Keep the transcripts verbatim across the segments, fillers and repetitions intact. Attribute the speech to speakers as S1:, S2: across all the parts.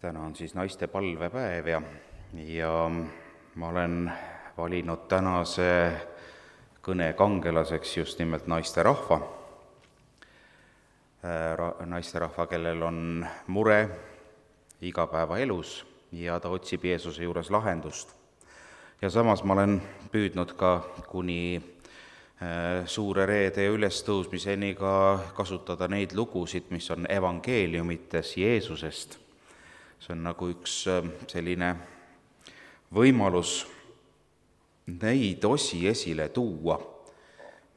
S1: täna on siis naiste palvepäev ja, ja ma olen valinud tänase kõne kangelaseks just nimelt naisterahva, naisterahva, kellel on mure igapäevaelus ja ta otsib Jeesuse juures lahendust. Ja samas ma olen püüdnud ka kuni suure reede ja ülestõusmiseni ka kasutada neid lugusid, mis on evangeeliumites Jeesusest. See on nagu üks selline võimalus neid osi esile tuua,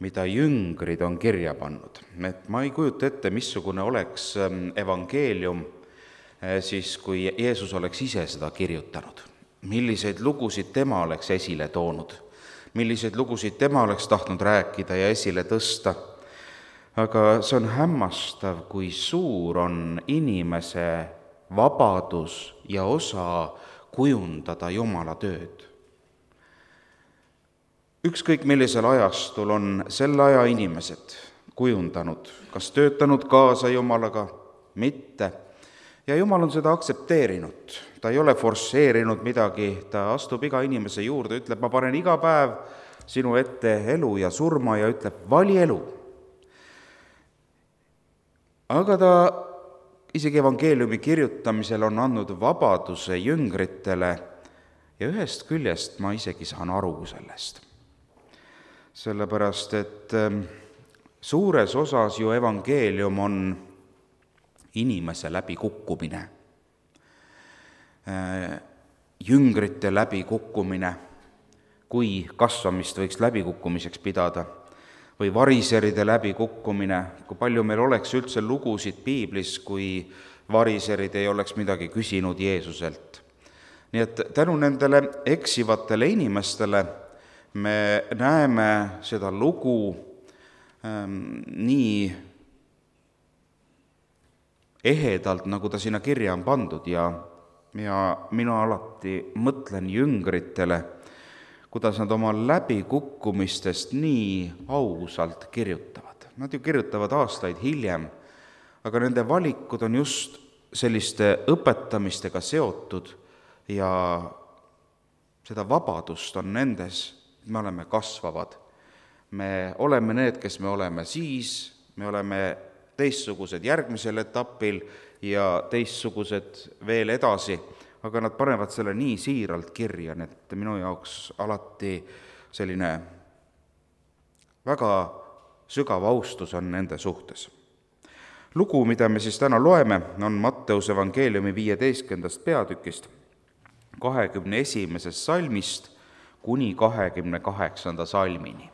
S1: mida jüngrid on kirja pannud. Et ma ei kujuta ette, missugune oleks evangeelium siis, kui Jeesus oleks ise seda kirjutanud. Milliseid lugusid tema oleks esile toonud, milliseid lugusid tema oleks tahtnud rääkida ja esile tõsta. Aga see on hämmastav, kui suur on inimese vabadus ja osa kujundada Jumala tööd. Ükskõik millisel ajastul on selle aja inimesed kujundanud, kas töötanud kaasa Jumalaga, mitte. Ja Jumal on seda aktsepteerinud. Ta ei ole forsseerinud midagi, ta astub iga inimese juurde, ütleb, ma panen iga päev sinu ette elu ja surma ja ütleb, vali elu. Aga ta isegi evangeeliumi kirjutamisel on andnud vabaduse jüngritele ja ühest küljest ma isegi saan aru sellest. Sellepärast, et suures osas ju evangeelium on inimese läbikukkumine, jüngrite läbikukkumine, kui kasvamist võiks läbikukkumiseks pidada, või variseride läbikukkumine, kui palju meil oleks üldse lugusid piiblis, kui variserid ei oleks midagi küsinud Jeesuselt. Nii et tänu nendele eksivatele inimestele me näeme seda lugu ähm, nii ehedalt, nagu ta sinna kirja on pandud ja, ja mina alati mõtlen jüngritele, kuidas nad oma läbikukkumistest nii ausalt kirjutavad. Nad ju kirjutavad aastaid hiljem, aga nende valikud on just selliste õpetamistega seotud ja seda vabadust on nendes, me oleme kasvavad. Me oleme need, kes me oleme siis, me oleme teistsugused järgmisel etapil ja teistsugused veel edasi, aga nad panevad selle nii siiralt kirja, et minu jaoks alati selline väga sügav austus on nende suhtes. Lugu, mida me siis täna loeme, on Matteuse evangeeliumi viieteistkümnendast peatükist, kahekümne esimesest salmist kuni kahekümne kaheksanda salmini.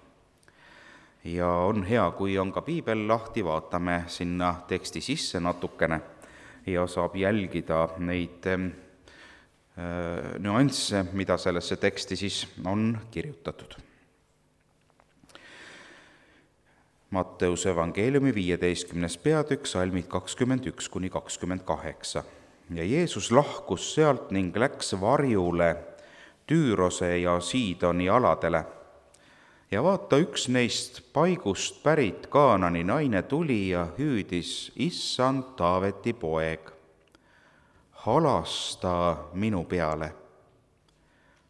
S1: Ja on hea, kui on ka piibel lahti, vaatame sinna teksti sisse natukene ja saab jälgida neid nüansse, mida sellesse teksti siis on kirjutatud. Matteuse evangeeliumi viieteistkümnes peatükk, salmid kakskümmend üks kuni kakskümmend kaheksa. Ja Jeesus lahkus sealt ning läks varjule Tüürose ja Siidoni aladele. Ja vaata, üks neist paigust pärit Kaanani naine tuli ja hüüdis, issand Taaveti poeg, halasta minu peale.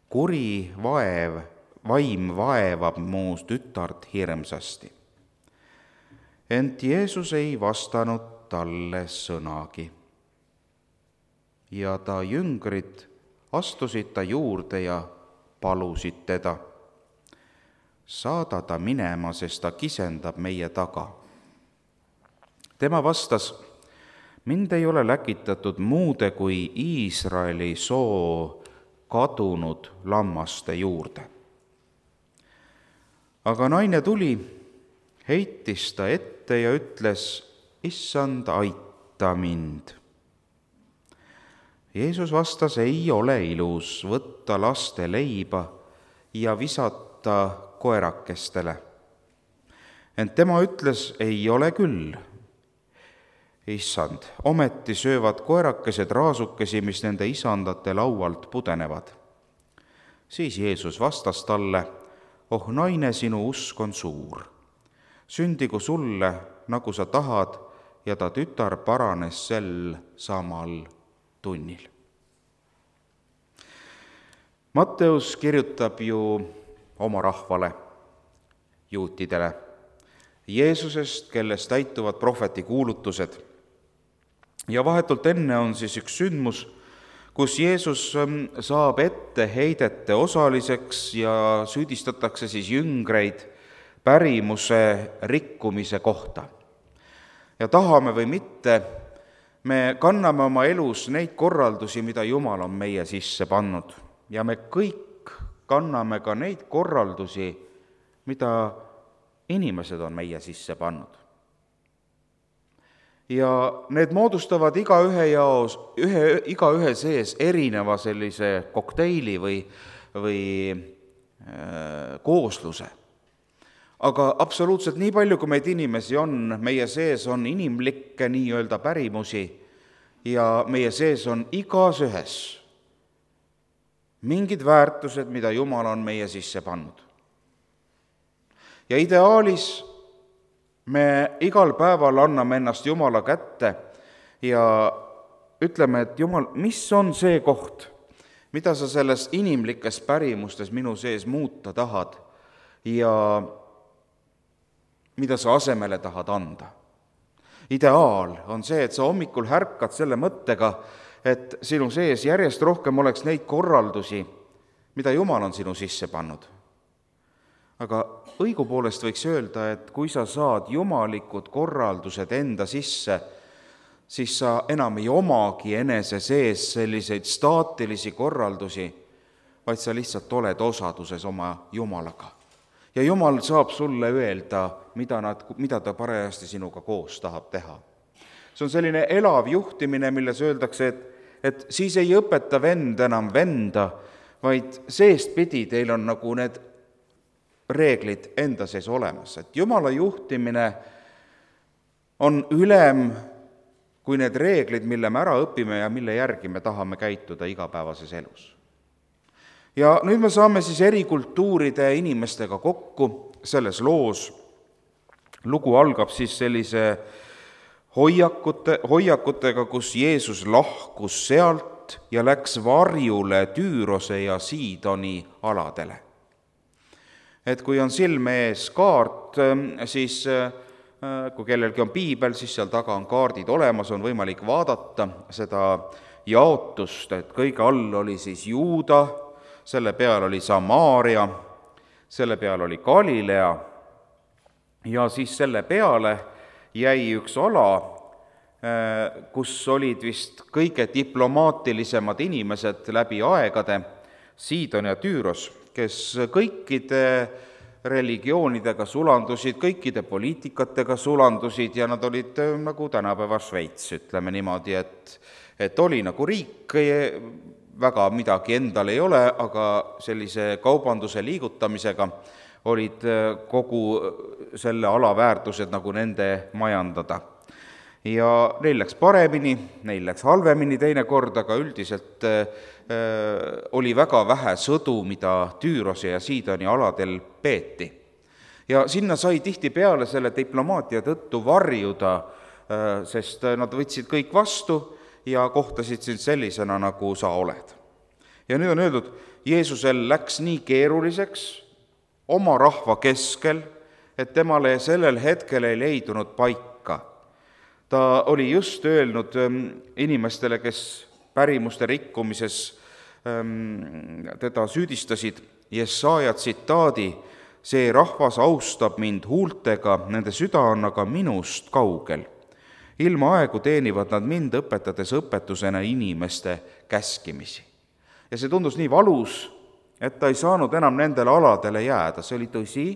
S1: Kuri vaev, vaim vaevab mu tütart hirmsasti. Ent Jeesus ei vastanud talle sõnagi. Ja ta jüngrid astusid ta juurde ja palusid teda. Saada ta minema, sest ta kisendab meie taga. Tema vastas, mind ei ole läkitatud muude kui Iisraeli soo kadunud lammaste juurde. Aga naine tuli, heitis ta ette ja ütles, issand, aita mind. Jeesus vastas, ei ole ilus võtta laste leiba ja visata koerakestele. Ent tema ütles, ei ole küll. Issand, ometi söövad koerakesed raasukesi, mis nende isandate laualt pudenevad. Siis Jeesus vastas talle, oh naine, sinu usk on suur. Sündigu sulle, nagu sa tahad, ja ta tütar paranes sel samal tunnil. Matteus kirjutab ju oma rahvale, juutidele, Jeesusest, kellest täituvad prohveti kuulutused. Ja vahetult enne on siis üks sündmus, kus Jeesus saab etteheidete osaliseks ja süüdistatakse siis jüngreid pärimuse rikkumise kohta. Ja tahame või mitte, me kanname oma elus neid korraldusi, mida Jumal on meie sisse pannud. Ja me kõik kanname ka neid korraldusi, mida inimesed on meie sisse pannud. Ja need moodustavad igaühe jaos, ühe, igaühe sees erineva sellise kokteili või, või äh, koosluse. Aga absoluutselt nii palju, kui meid inimesi on, meie sees on inimlikke nii-öelda pärimusi ja meie sees on igas ühes mingid väärtused, mida Jumal on meie sisse pannud. Ja ideaalis me igal päeval anname ennast Jumala kätte ja ütleme, et Jumal, mis on see koht, mida sa selles inimlikes pärimustes minu sees muuta tahad ja mida sa asemele tahad anda. Ideaal on see, et sa hommikul härkad selle mõttega, et sinu sees järjest rohkem oleks neid korraldusi, mida Jumal on sinu sisse pannud. Aga õigupoolest võiks öelda, et kui sa saad jumalikud korraldused enda sisse, siis sa enam ei omagi enese sees selliseid staatilisi korraldusi, vaid sa lihtsalt oled osaduses oma Jumalaga. Ja Jumal saab sulle öelda, mida, nad, mida ta parajasti sinuga koos tahab teha. See on selline elav juhtimine, milles öeldakse, et, et siis ei õpeta vend enam venda, vaid seestpidi teil on nagu need reeglid enda sees olemas. Et Jumala juhtimine on ülem kui need reeglid, mille me ära õpime ja mille järgi me tahame käituda igapäevases elus. Ja nüüd me saame siis eri kultuuride inimestega kokku selles loos. Lugu algab siis sellise hoiakute, hoiakutega, kus Jeesus lahkus sealt ja läks varjule Tüürose ja Siidoni aladele. Et kui on silme ees kaart, siis kui kellelgi on piibel, siis seal taga on kaardid olemas, on võimalik vaadata seda jaotust, et kõige all oli siis Juuda, selle peal oli Samaaria, selle peal oli Galilea ja siis selle peale jäi üks ala, kus olid vist kõige diplomaatilisemad inimesed läbi aegade, Siidon ja Tüüros, kes kõikide religioonidega sulandusid, kõikide poliitikatega sulandusid ja nad olid nagu tänapäeva Šveits, ütleme niimoodi, et, et oli nagu riik, väga midagi endal ei ole, aga sellise kaubanduse liigutamisega olid kogu selle ala väärtused nagu nende majandada. Ja neil läks paremini, neil läks halvemini teinekord, aga üldiselt äh, oli väga vähe sõdu, mida Tüürose ja Siidoni aladel peeti. Ja sinna sai tihti peale selle diplomaatia tõttu varjuda, äh, sest nad võtsid kõik vastu ja kohtasid sind sellisena, nagu sa oled. Ja nüüd on öeldud, Jeesusel läks nii keeruliseks oma rahva keskel, et temale sellel hetkel ei leidunud paika. Ta oli just öelnud inimestele, kes pärimuste rikkumises teda süüdistasid, Jesaja tsitaadi, see rahvas austab mind huultega, nende süda on aga minust kaugel. Ilma aegu teenivad nad mind, õpetades õpetusena inimeste käskimisi. Ja see tundus nii valus, et ta ei saanud enam nendele aladele jääda, see oli tõsi,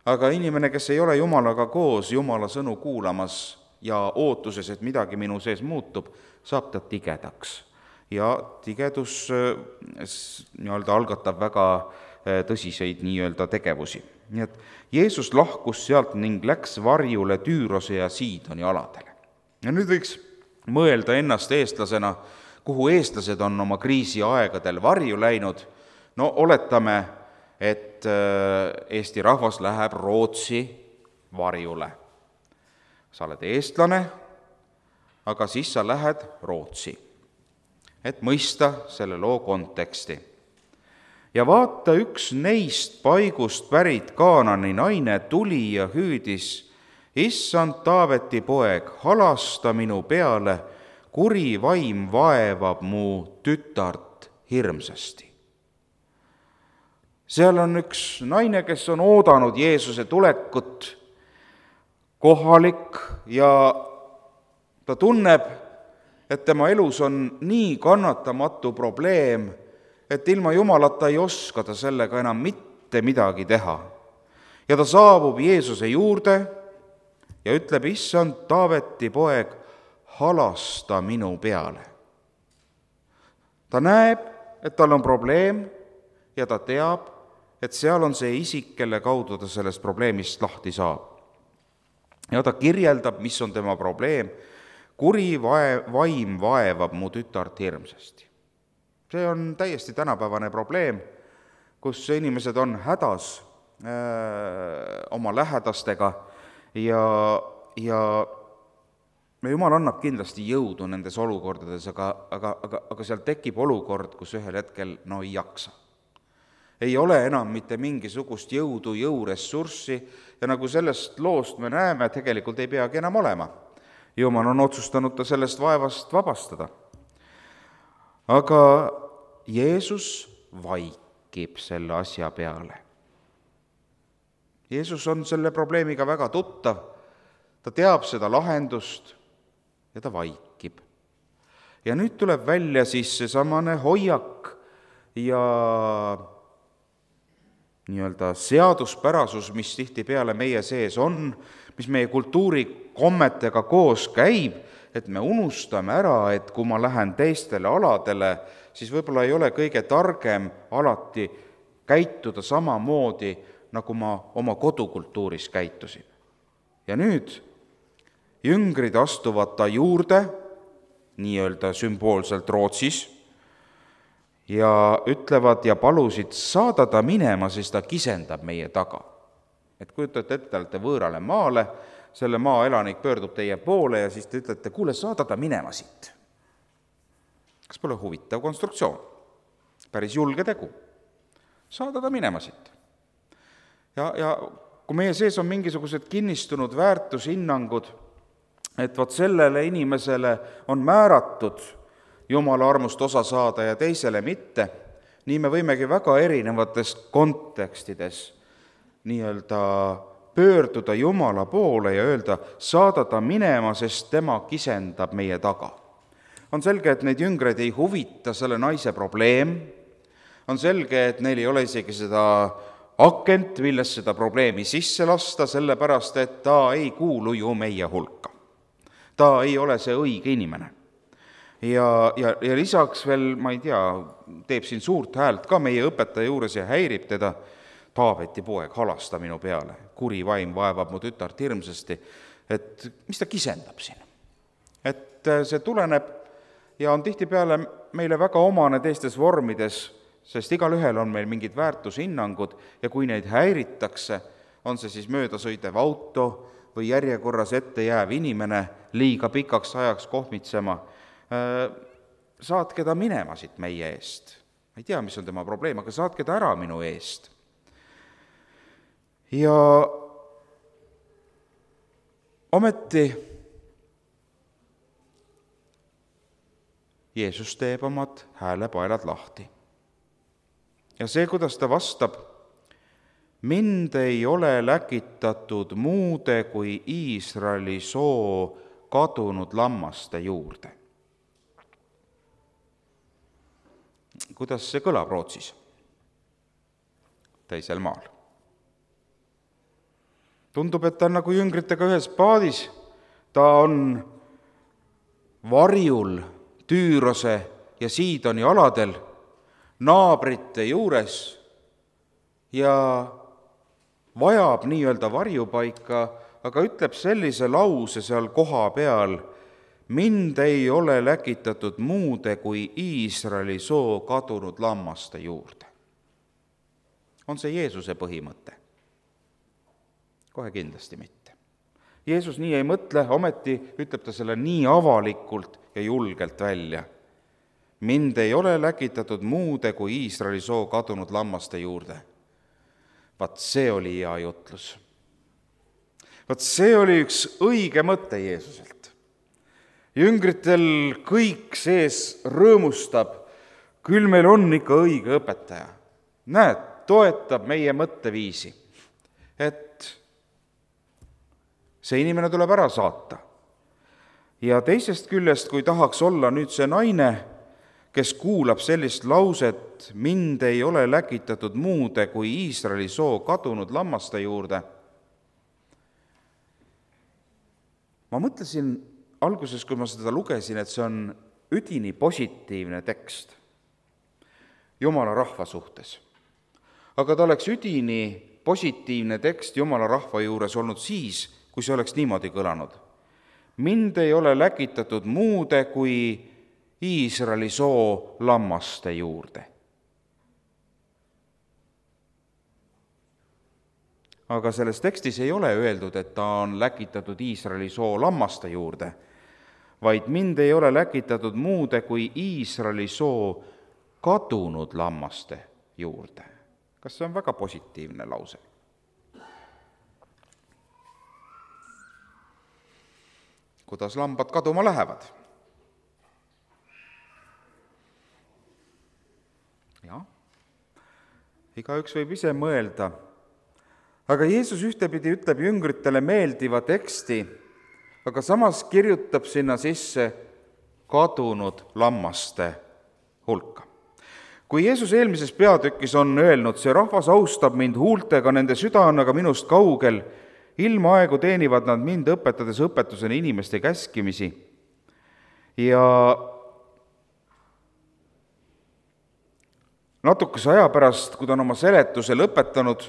S1: aga inimene, kes ei ole Jumalaga koos, Jumala sõnu kuulamas ja ootuses, et midagi minu sees muutub, saab ta tigedaks. Ja tigedus nii-öelda algatab väga tõsiseid nii-öelda tegevusi. Nii et Jeesus lahkus sealt ning läks varjule Tüürose ja Siidoni aladele. Ja nüüd võiks mõelda ennast eestlasena, kuhu eestlased on oma kriisiaegadel varju läinud. No oletame, et Eesti rahvas läheb Rootsi varjule. Sa oled eestlane, aga siis sa lähed Rootsi, et mõista selle loo konteksti. ja vaata, üks neist paigust pärit Kaanani naine tuli ja hüüdis, issand Taaveti poeg, halasta minu peale, kuri vaim vaevab mu tütart hirmsasti. Seal on üks naine, kes on oodanud Jeesuse tulekut, kohalik, ja ta tunneb, et tema elus on nii kannatamatu probleem, et ilma Jumalata ei oska ta sellega enam mitte midagi teha. Ja ta saabub Jeesuse juurde ja ütleb, issand Taaveti poeg, halasta minu peale. Ta näeb, et tal on probleem ja ta teab, et seal on see isik, kelle kaudu ta sellest probleemist lahti saab. Ja ta kirjeldab, mis on tema probleem. Kuri vaim vaevab mu tütart hirmsasti. See on täiesti tänapäevane probleem, kus inimesed on hädas öö, oma lähedastega ja, ja Jumal annab kindlasti jõudu nendes olukordades, aga, aga, aga, aga seal tekib olukord, kus ühel hetkel no ei jaksa. Ei ole enam mitte mingisugust jõudu, jõuressurssi ja nagu sellest loost me näeme, tegelikult ei peagi enam olema. Jumal on otsustanud ta sellest vaevast vabastada. Aga Jeesus vaikib selle asja peale. Jeesus on selle probleemiga väga tuttav, ta teab seda lahendust ja ta vaikib. Ja nüüd tuleb välja siis seesamane hoiak ja nii-öelda seaduspärasus, mis tihtipeale meie sees on, mis meie kultuurikommetega koos käib, et me unustame ära, et kui ma lähen teistele aladele, siis võib-olla ei ole kõige targem alati käituda samamoodi, nagu ma oma kodukultuuris käitusin. Ja nüüd jüngrid astuvad ta juurde, nii-öelda sümboolselt Rootsis, ja ütlevad ja palusid saada ta minema, sest ta kisendab meie taga. Et kujutate ette, olete võõrale maale, selle maa elanik pöördub teie poole ja siis te ütlete, kuule, saada ta minema siit. Kas pole huvitav konstruktsioon? Päris julge tegu. Saada ta minema siit. Ja, ja kui meie sees on mingisugused kinnistunud väärtushinnangud, et vaat sellele inimesele on määratud Jumala armust osa saada ja teisele mitte, nii me võimegi väga erinevates kontekstides nii-öelda pöörduda Jumala poole ja öelda, saada ta minema, sest tema kisendab meie taga. On selge, et neid jüngreid ei huvita selle naise probleem, on selge, et neil ei ole isegi seda akent, millest seda probleemi sisse lasta, sellepärast, et ta ei kuulu ju meie hulka. Ta ei ole see õige inimene. Ja, ja, ja lisaks veel, ma ei tea, teeb siin suurt häält ka meie õpetaja juures ja häirib teda, Taaveti poeg, halasta minu peale, kuri vaim vaevab mu tütart hirmsasti, et mis ta kisendab siin. Et see tuleneb ja on tihtipeale meile väga omane teistes vormides, sest igal ühel on meil mingid väärtushinnangud ja kui neid häiritakse, on see siis möödasõidev auto või järjekorras ette jääv inimene liiga pikaks ajaks kohmitsema, saatke ta minema siit meie eest. Ma ei tea, mis on tema probleem, aga saatke ta ära minu eest. Ja ometi Jeesus teeb omad häälepaelad lahti. Ja see, kuidas ta vastab, mind ei ole läkitatud muude kui Iisraeli soo kadunud lammaste juurde. Kuidas see kõlab Rootsis? Teisel maal. Tundub, et ta on nagu jüngritega ühes paadis, ta on varjul Tüürose ja Siidoni aladel, naabrite juures ja vajab nii-öelda varjupaika, aga ütleb sellise lause seal koha peal, mind ei ole läkitatud muude kui Iisraeli soo kadunud lammaste juurde. On see Jeesuse põhimõte? Kohe kindlasti mitte. Jeesus nii ei mõtle, ometi ütleb ta selle nii avalikult ja julgelt välja. mind ei ole läkitatud muude kui Iisraeli soo kadunud lammaste juurde. Vaat see oli hea jutlus. Vaat see oli üks õige mõte Jeesuselt. Jüngritel kõik sees rõõmustab, küll meil on ikka õige õpetaja. Näed, toetab meie mõtteviisi, et see inimene tuleb ära saata. Ja teisest küljest, kui tahaks olla nüüd see naine, kes kuulab sellist lauset, mind ei ole läkitatud muude kui Iisraeli soo kadunud lammaste juurde. Ma mõtlesin alguses, kui ma seda lugesin, et see on üdini positiivne tekst Jumala rahva suhtes. Aga ta oleks üdini positiivne tekst Jumala rahva juures olnud siis, kui see oleks niimoodi kõlanud. Mind ei ole läkitatud muude kui Iisraeli soo lammaste juurde. Aga selles tekstis ei ole öeldud, et ta on läkitatud Iisraeli soo lammaste juurde, vaid mind ei ole läkitatud muude kui Iisraeli soo kadunud lammaste juurde. Kas see on väga positiivne lause? Kuidas lambad kaduma lähevad? Jah, igaüks võib ise mõelda. Aga Jeesus ühtepidi ütleb jüngritele meeldiva teksti, aga samas kirjutab sinna sisse kadunud lammaste hulka. Kui Jeesus eelmises peatükis on öelnud, see rahvas austab mind huultega, nende süda on aga minust kaugel, ilma aegu teenivad nad mind, õpetades õpetusena inimeste käskimisi. Ja natukese aja pärast, kui ta on oma seletuse lõpetanud,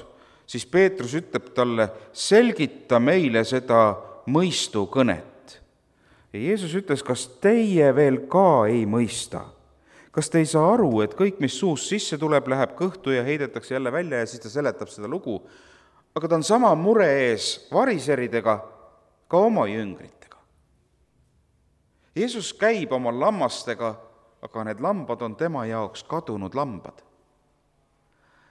S1: siis Peetrus ütleb talle, selgita meile seda mõistukõnet. Ja Jeesus ütles, kas teie veel ka ei mõista? Kas te ei saa aru, et kõik, mis suust sisse tuleb, läheb kõhtu ja heidetakse jälle välja ja siis ta seletab seda lugu? Aga ta on sama mure ees variseridega, ka oma jüngritega. Jeesus käib oma lammastega, aga need lambad on tema jaoks kadunud lambad.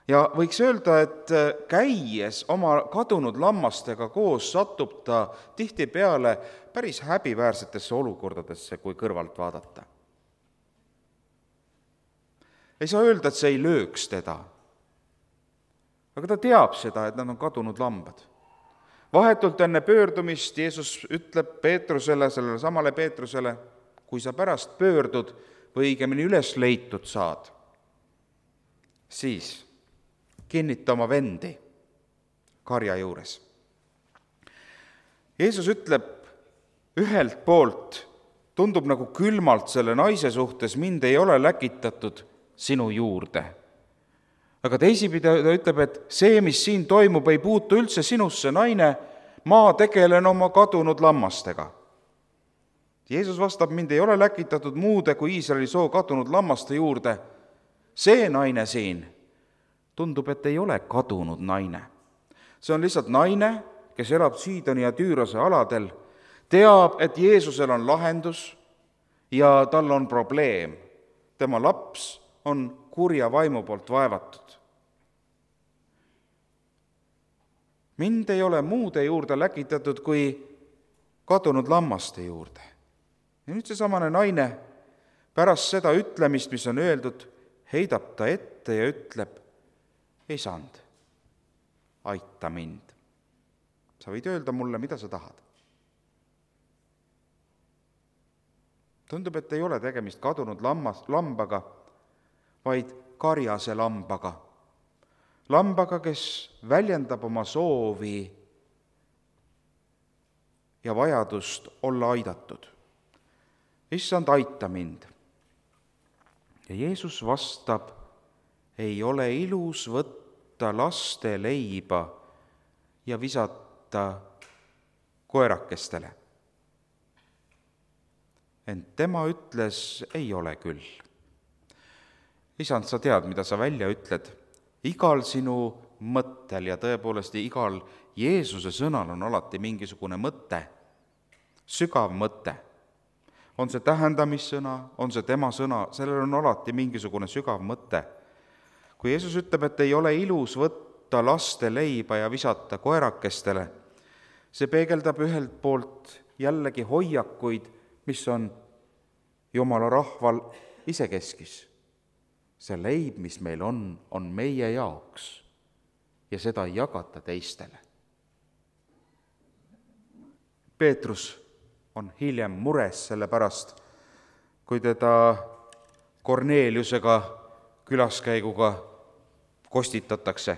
S1: Ja võiks öelda, et käies oma kadunud lammastega koos satub ta tihtipeale päris häbiväärsetesse olukordadesse, kui kõrvalt vaadata. Ei saa öelda, et see ei lööks teda. Aga ta teab seda, et nad on kadunud lambad. Vahetult enne pöördumist Jeesus ütleb Peetrusele, sellele samale Peetrusele, kui sa pärast pöördud või õigemini üles leitud saad, siis kinnita oma vendi karja juures. Jeesus ütleb ühelt poolt, tundub nagu külmalt selle naise suhtes, mind ei ole läkitatud sinu juurde. Aga teisipidi ta ütleb, et see, mis siin toimub, ei puutu üldse sinusse, naine, ma tegelen oma kadunud lammastega. Jeesus vastab, mind ei ole läkitatud muude kui Iisraeli soo kadunud lammaste juurde. See naine siin tundub, et ei ole kadunud naine. See on lihtsalt naine, kes elab Siidoni ja Tüürose aladel, teab, et Jeesusel on lahendus ja tal on probleem. Tema laps on kurja vaimu poolt vaevatud. Mind ei ole muude juurde läkitatud kui kadunud lammaste juurde. Ja nüüd see samane naine pärast seda ütlemist, mis on öeldud, heidab ta ette ja ütleb, Isand, aita mind. Sa võid öelda mulle, mida sa tahad. Tundub, et ei ole tegemist kadunud lammas, lambaga, vaid karjase lambaga. Lambaga, kes väljendab oma soovi ja vajadust olla aidatud. Issand, aita mind. Ja Jeesus vastab, ei ole ilus võtta laste leiba ja visata koerakestele. Ent tema ütles, ei ole küll. Isand, sa tead, mida sa välja ütled. Igal sinu mõttel ja tõepoolest igal Jeesuse sõnal on alati mingisugune mõte, sügav mõte. on see tähendamissõna, on see tema sõna, sellel on alati mingisugune sügav mõte. Kui Jeesus ütleb, et ei ole ilus võtta laste leiba ja visata koerakestele, see peegeldab ühelt poolt jällegi hoiakuid, mis on Jumala rahval isekeskis. See leib, mis meil on, on meie jaoks ja seda ei jagata teistele. Peetrus on hiljem mures selle pärast, kui teda Korneeliusega külaskäiguga kostitatakse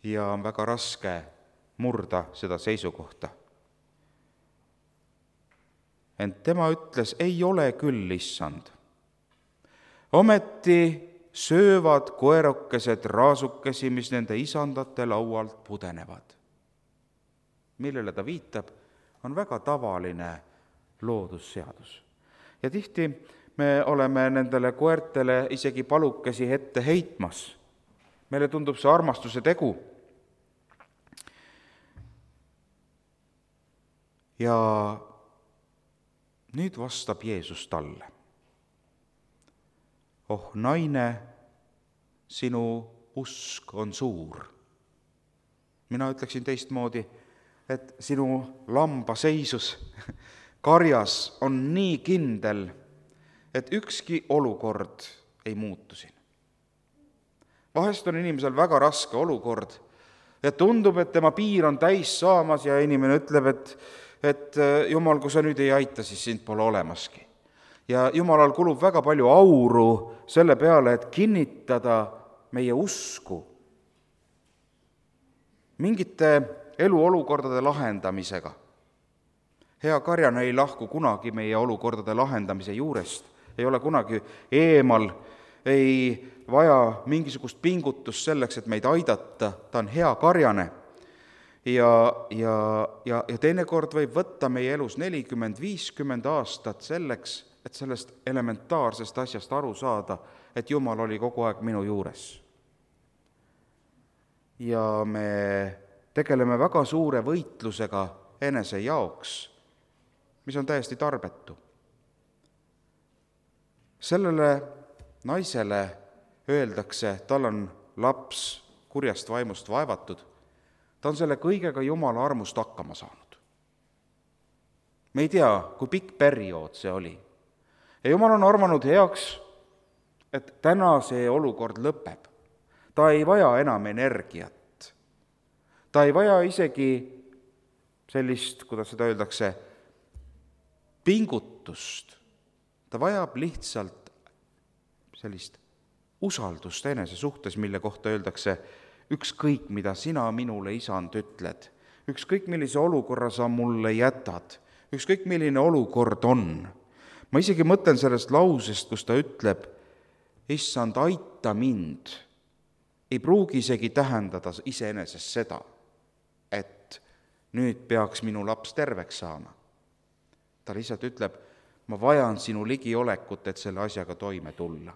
S1: ja on väga raske murda seda seisukohta. Ent tema ütles, ei ole küll, issand. Ometi söövad koerukesed raasukesi, mis nende isandate laualt pudenevad. Millele ta viitab, on väga tavaline loodusseadus. Ja tihti me oleme nendele koertele isegi palukesi ette heitmas. Meile tundub see armastuse tegu. Ja nüüd vastab Jeesus talle. Oh naine, sinu usk on suur. Mina ütleksin teistmoodi, et sinu lamba seisus karjas on nii kindel, et ükski olukord ei muutu siin. Vahest on inimesel väga raske olukord ja tundub, et tema piir on täis saamas ja inimene ütleb, et, et Jumal, kui sa nüüd ei aita, siis sind pole olemaski. Ja Jumalal kulub väga palju auru selle peale, et kinnitada meie usku mingite eluolukordade lahendamisega. Hea karjane ei lahku kunagi meie olukordade lahendamise juurest, ei ole kunagi eemal, ei vaja mingisugust pingutust selleks, et meid aidata, ta on hea karjane. Ja, ja, ja, ja teinekord võib võtta meie elus nelikümmend viiskümmend aastat selleks, et sellest elementaarsest asjast aru saada, et Jumal oli kogu aeg minu juures. Ja me tegeleme väga suure võitlusega enese jaoks, mis on täiesti tarbetu. Sellele naisele öeldakse, tal on laps kurjast vaimust vaevatud, ta on selle kõigega Jumala armust hakkama saanud. Me ei tea, kui pikk periood see oli. Ja Jumal on arvanud heaks, et täna see olukord lõpeb. Ta ei vaja enam energiat. Ta ei vaja isegi sellist, kuidas seda öeldakse, pingutust. Ta vajab lihtsalt sellist usaldust enese suhtes, mille kohta öeldakse, ükskõik mida sina minule, isand, ütled, ükskõik millise olukorra sa mulle jätad, ükskõik milline olukord on. Ma isegi mõtlen sellest lausest, kus ta ütleb, issand, aita mind, ei pruugi isegi tähendada iseenesest seda, et nüüd peaks minu laps terveks saama. Ta lihtsalt ütleb, ma vajan sinu ligiolekut, et selle asjaga toime tulla.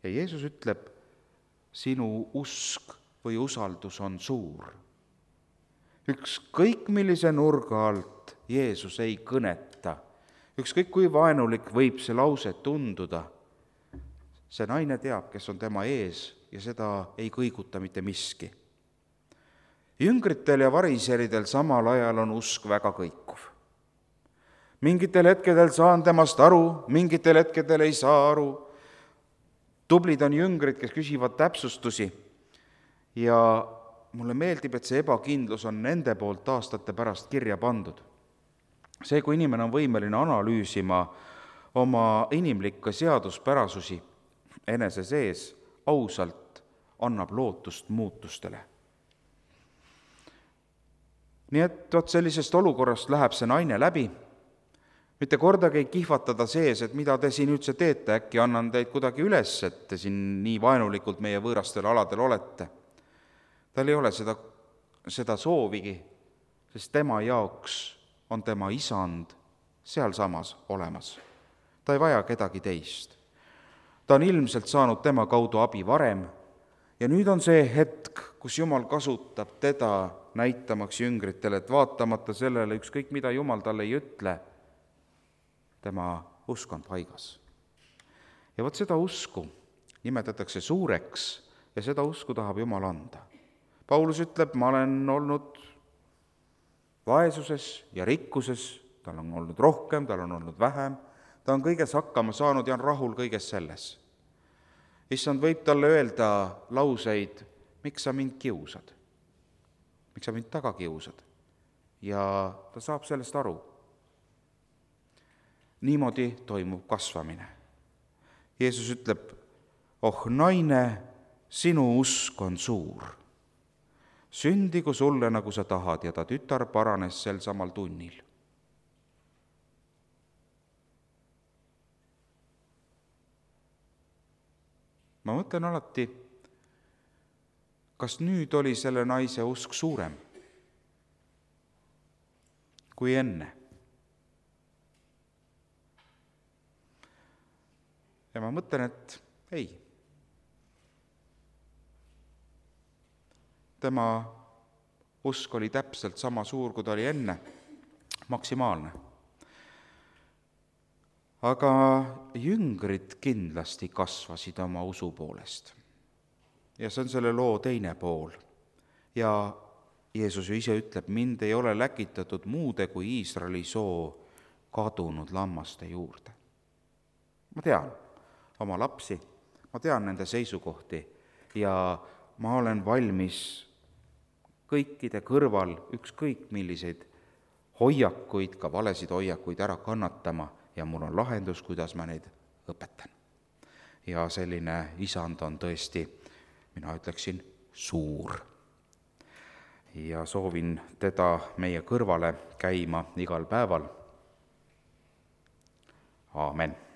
S1: Ja Jeesus ütleb, sinu usk või usaldus on suur. Ükskõik millise nurga alt Jeesus ei kõneta, ükskõik kui vaenulik võib see lause tunduda, see naine teab, kes on tema ees ja seda ei kõiguta mitte miski. Jüngritel ja variseridel samal ajal on usk väga kõikuv. Mingitel hetkedel saan temast aru, mingitel hetkedel ei saa aru. Tublid on jüngrid, kes küsivad täpsustusi ja mulle meeldib, et see ebakindlus on nende poolt aastate pärast kirja pandud. See, kui inimene on võimeline analüüsima oma inimlikke seaduspärasusi enese sees, ausalt annab lootust muutustele. Nii et oot sellisest olukorrast läheb see naine läbi, mitte kordagi ei kihvatada sees, et mida te siin üldse teete, äkki annan teid kuidagi üles, et te siin nii vaenulikult meie võõrastel aladel olete. Tal ei ole seda, seda soovigi, sest tema jaoks on tema isand sealsamas olemas. Ta ei vaja kedagi teist. Ta on ilmselt saanud tema kaudu abi varem ja nüüd on see hetk, kus Jumal kasutab teda näitamaks jüngritele, et vaatamata sellele, ükskõik mida Jumal talle ei ütle, tema usk on paigas. Ja vot seda usku nimetatakse suureks ja seda usku tahab Jumal anda. Paulus ütleb, ma olen olnud vaesuses ja rikkuses, tal on olnud rohkem, tal on olnud vähem, ta on kõiges hakkama saanud ja on rahul kõiges selles. Issand võib talle öelda lauseid, miks sa mind kiusad, miks sa mind taga kiusad, ja ta saab sellest aru. Niimoodi toimub kasvamine. Jeesus ütleb, oh naine, sinu usk on suur. Sündigu sulle, nagu sa tahad, ja ta tütar paranes sel samal tunnil. Ma mõtlen alati, kas nüüd oli selle naise usk suurem kui enne. Ja ma mõtlen, et ei. Tema usk oli täpselt sama suur, kui ta oli enne, maksimaalne. Aga jüngrid kindlasti kasvasid oma usu poolest. Ja see on selle loo teine pool. Ja Jeesus ju ise ütleb, mind ei ole läkitatud muude kui Iisraeli soo kadunud lammaste juurde. Ma tean oma lapsi, ma tean nende seisukohti ja ma olen valmis kõikide kõrval ükskõik milliseid hoiakuid, ka valesid hoiakuid ära kannatama ja mul on lahendus, kuidas ma neid õpetan. Ja selline isand on tõesti, mina ütleksin, suur. Ja soovin teda meie kõrvale käima igal päeval. Aamen.